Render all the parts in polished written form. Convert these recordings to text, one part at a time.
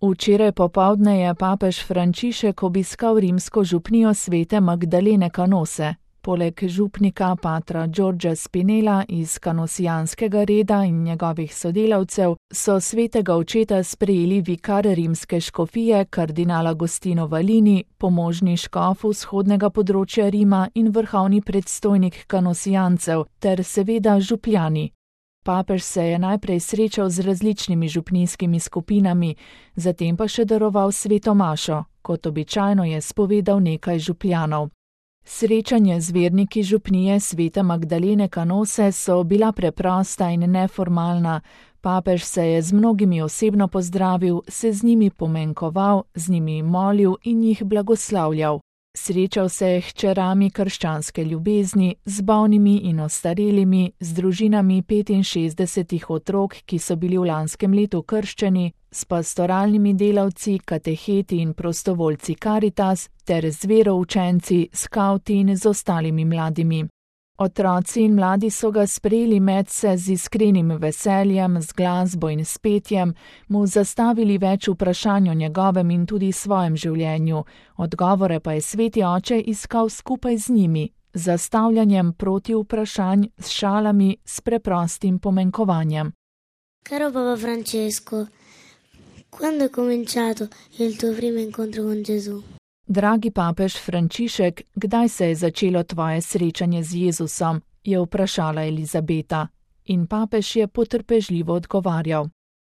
Včeraj popoldne je papež Frančišek obiskal rimsko župnijo svete Magdalene Canose. Poleg župnika patra Giorgia Spinella iz kanosijanskega reda in njegovih sodelavcev so svetega očeta sprejeli vikar rimske škofije kardinal Agostino Valini, pomožni škof vzhodnega področja Rima in vrhovni predstojnik kanosijancev ter seveda župljani. Papež se je najprej srečal z različnimi župnijskimi skupinami, zatem pa še daroval sveto mašo, kot običajno je spovedal nekaj župljanov. Srečanje z verniki župnije svete Magdalene Canose so bila preprosta in neformalna. Papež se je z mnogimi osebno pozdravil, se z njimi pomenkoval, z njimi molil in jih blagoslavljal. Srečal se je hčerami krščanske ljubezni, z bolnimi in ostarelimi, z družinami 65 otrok, ki so bili v lanskem letu krščeni, s pastoralnimi delavci, kateheti in prostovoljci Caritas ter z veroučenci, skavti in z ostalimi mladimi. Otroci in mladi so ga sprejeli medse z iskrenim veseljem, z glasbo in s petjem, mu zastavili več vprašanj o njegovem in tudi svojem življenju, odgovore pa je sveti oče iskal skupaj z njimi, z zastavljanjem proti vprašanj, s šalami, s preprostim pomenkovanjem. Caro Papa Francesco, quando è cominciato il tuo primo incontro con Gesù? Dragi papež Frančišek, kdaj se je začelo tvoje srečanje z Jezusom, je vprašala Elizabeta, in papež je potrpežljivo odgovarjal.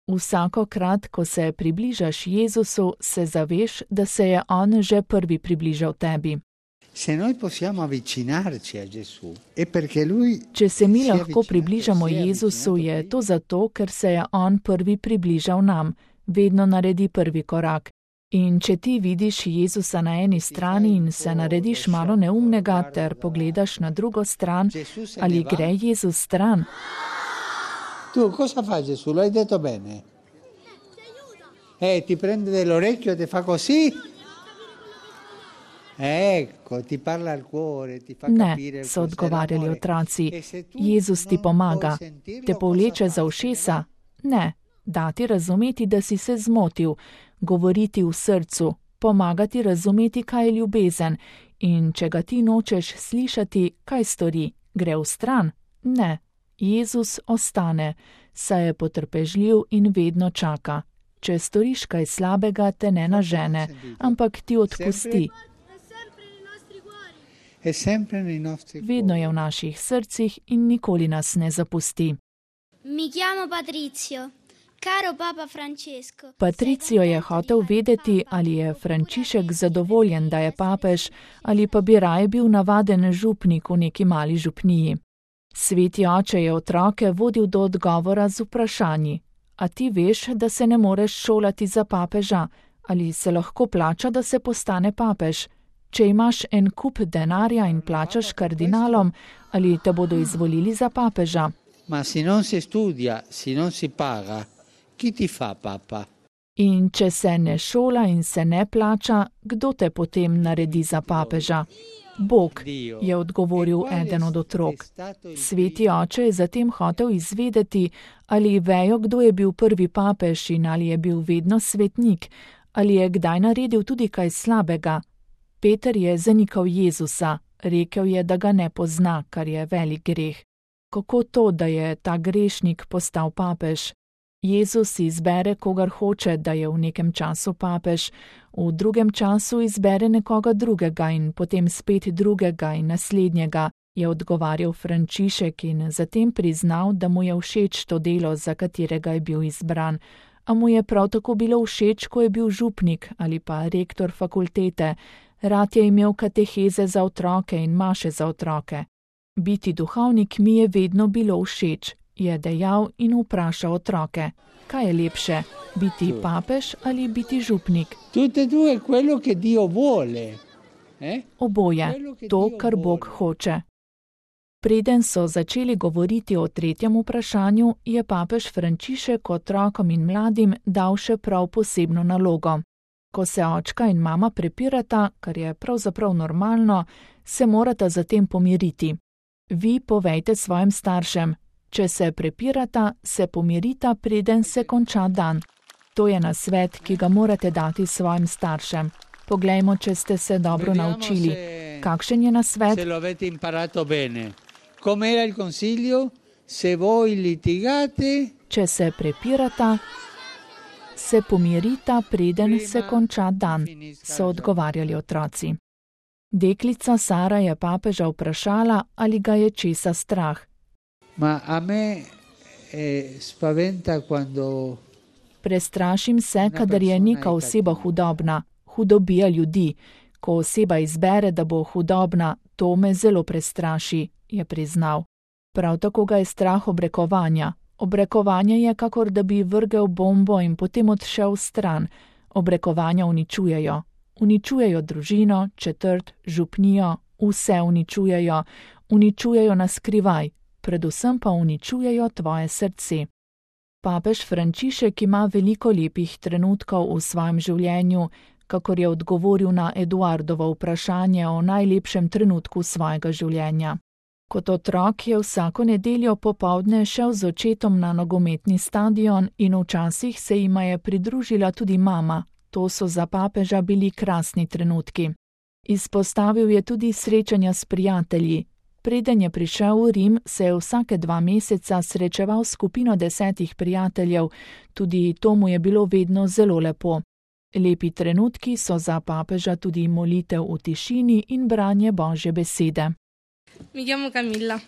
Vsakokrat, ko se približaš Jezusu, se zaveš, da se je on že prvi približal tebi. Če se mi lahko približamo Jezusu, je to zato, ker se je on prvi približal nam, vedno naredi prvi korak. In če ti vidiš Jezusa na eni strani in se narediš malo neumnega ter pogledaš na drugo stran, ali gre Jezus stran? Tu, cosa fa Gesù? Lo hai detto bene? Ti prende dell'orecchio e ti fa così? Ecco, ti parla al cuore, ti fa capire. Ne, so odgovarjali otroci. Jezus ti pomaga. Te povleče za ušesa? Ne. Dati razumeti, da si se zmotil, govoriti v srcu, pomagati razumeti, kaj je ljubezen, in če ga ti nočeš slišati, kaj stori, gre v stran? Ne, Jezus ostane, saj je potrpežljiv in vedno čaka. Če storiš kaj slabega, te ne nažene, ampak ti odpusti. Vedno je v naših srcih in nikoli nas ne zapusti. Mi chiamo Patrizio. Caro Papa Francesco. Patricio je hotel vedeti, ali je Frančišek zadovoljen, da je papež, ali pa bi raje bil navaden župnik v neki mali župniji. Sveti oče je otroke vodil do odgovora z vprašanji. A ti veš, da se ne moreš šolati za papeža? Ali se lahko plača, da se postane papež? Če imaš en kup denarja in plačaš kardinalom, ali te bodo izvolili za papeža? Ma se non si studia, se non si paga, ki ti fa papa? In če se ne šola in se ne plača, kdo te potem naredi za papeža? Bog, je odgovoril eden od otrok. Sveti oče je zatem hotel izvedeti, ali vejo, kdo je bil prvi papež in ali je bil vedno svetnik, ali je kdaj naredil tudi kaj slabega. Peter je zanikal Jezusa, rekel je, da ga ne pozna, kar je velik greh. Kako to, da je ta grešnik postal papež? Jezus izbere, kogar hoče, da je v nekem času papež, v drugem času izbere nekoga drugega in potem spet drugega in naslednjega, je odgovarjal Frančišek in zatem priznal, da mu je všeč to delo, za katerega je bil izbran, a mu je prav tako bilo všeč, ko je bil župnik ali pa rektor fakultete, rad je imel kateheze za otroke in maše za otroke. Biti duhovnik mi je vedno bilo všeč, je dejal in vprašal otroke. Kaj je lepše, biti papež ali biti župnik? Oboje, to, kar Bog hoče. Preden so začeli govoriti o tretjem vprašanju, je papež Frančišek otrokom in mladim dal še prav posebno nalogo. Ko se očka in mama prepirata, kar je pravzaprav normalno, se morata zatem pomiriti. Vi povejte svojim staršem, če se prepirata, se pomirita, preden se konča dan. To je nasvet, ki ga morate dati svojim staršem. Poglejmo, če ste se dobro naučili. Kakšen je nasvet? Se lo avete imparato bene. Com'era il consiglio? Se voi litigate, Če se prepirata, se pomirita, preden se konča dan, so odgovarjali otroci. Deklica Sara je papeža vprašala, ali ga je česa strah. ma a me spaventa quando Prestrašim se, kadar je neka oseba hudobna, hudobija ljudi. Ko oseba izbere, da bo hudobna, to me zelo prestraši, je priznal. Prav tako ga je strah obrekovanja. Obrekovanje je, kakor da bi vrgel bombo in potem odšel stran. Obrekovanja uničujejo. Uničujejo družino, četrt, župnijo, vse uničujejo. Uničujejo na skrivaj, predvsem pa uničujejo tvoje srce. Papež Frančišek ima veliko lepih trenutkov v svojem življenju, kakor je odgovoril na Eduardovo vprašanje o najlepšem trenutku svojega življenja. Kot otrok je vsako nedeljo popoldne šel z očetom na nogometni stadion in včasih se jima je pridružila tudi mama. To so za papeža bili krasni trenutki. Izpostavil je tudi srečanja s prijatelji. Preden je prišel v Rim, se je vsake 2 meseca srečeval s skupino 10 prijateljev, tudi to mu je bilo vedno zelo lepo. Lepi trenutki so za papeža tudi molitev v tišini in branje Božje besede. Mi chiamo Camilla.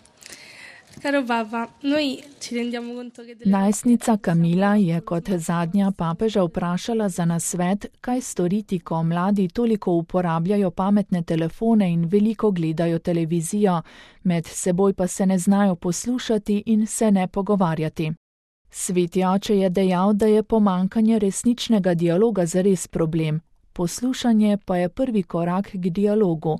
Caro Papa, noi ci rendiamo conto che Najstnica Camila je kot zadnja papeža vprašala za nasvet, kaj storiti, ko mladi toliko uporabljajo pametne telefone in veliko gledajo televizijo, med seboj pa se ne znajo poslušati in se ne pogovarjati. Sveti oče je dejal, da je pomanjkanje resničnega dialoga zares problem, poslušanje pa je prvi korak k dialogu.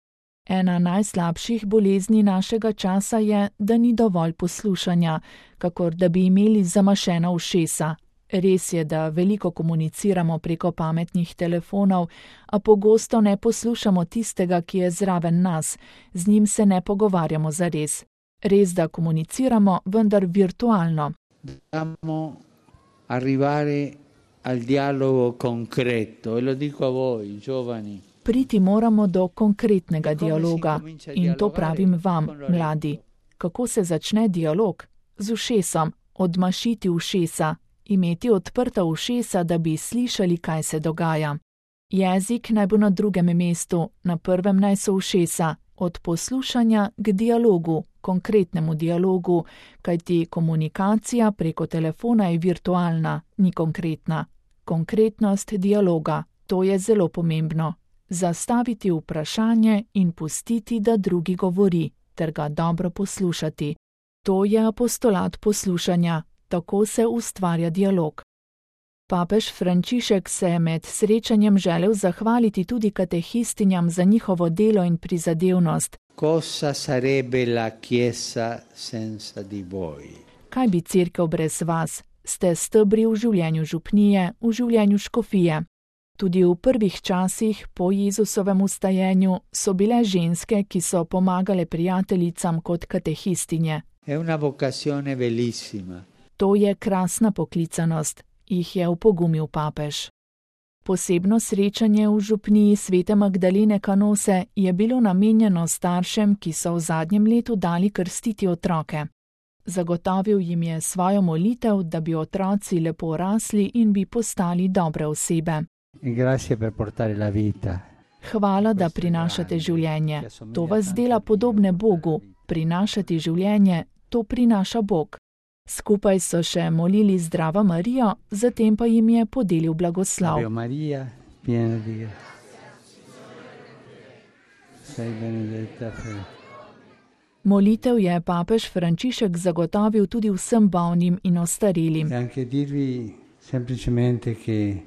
Ena najslabših bolezni našega časa je, da ni dovolj poslušanja, kakor da bi imeli zamašena ušesa. Res je, da veliko komuniciramo preko pametnih telefonov, a pogosto ne poslušamo tistega, ki je zraven nas, z njim se ne pogovarjamo zares. Res, da komuniciramo, vendar virtualno. dobbiamo arrivare al dialogo concreto, e lo dico a voi, giovani. Priti moramo do konkretnega dialoga in to pravim vam, mladi. Kako se začne dialog? Z ušesom, odmašiti ušesa, imeti odprta ušesa, da bi slišali, kaj se dogaja. Jezik naj bo na drugem mestu, na prvem naj so ušesa, od poslušanja k dialogu, konkretnemu dialogu, kajti komunikacija preko telefona je virtualna, ni konkretna. Konkretnost dialoga, to je zelo pomembno. Zastaviti vprašanje in pustiti, da drugi govori, ter ga dobro poslušati. To je apostolat poslušanja, tako se ustvarja dialog. Papež Frančišek se je med srečanjem želel zahvaliti tudi katehistinjam za njihovo delo in prizadevnost. Cosa sarebbe la Chiesa senza di voi? Kaj bi cerkev brez vas? Ste stebri v življenju župnije, v življenju škofije. Tudi v prvih časih po Jezusovem vstajenju so bile ženske, ki so pomagale prijateljicam kot katehistinje. È una vocazione bellissima. To je krasna poklicanost, jih je upogumil papež. Posebno srečanje v župniji svete Magdalene Kanose je bilo namenjeno staršem, ki so v zadnjem letu dali krstiti otroke. Zagotovil jim je svojo molitev, da bi otroci lepo rasli in bi postali dobre osebe. Grazie per portare la vita. Hvala, da prinašate življenje. To vas dela podobne Bogu. Prinašati življenje, to prinaša Bog. Skupaj so še molili Zdravo Marijo, zatem pa jim je podelil blagoslov. Ave Maria, piena di grazia. Sei benedetta per... Molitev je papež Frančišek zagotovil tudi vsem bolnim in ostarelim. E anche dirvi semplicemente che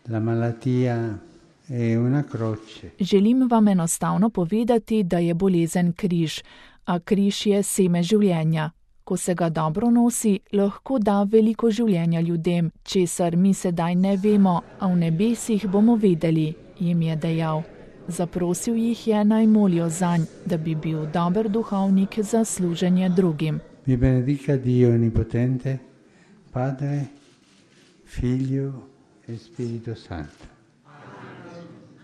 la malattia è una croce. Želim vam enostavno povedati, da je bolezen križ, a križ je seme življenja. Ko se ga dobro nosi, lahko da veliko življenja ljudem, česar mi sedaj ne vemo, a v nebesih bomo vedeli, jim je dejal. Zaprosil jih je, naj molijo zanj, da bi bil dober duhovnik za služenje drugim. Vi benedica Dio Onnipotente, Padre Figlio e Spirito Santo.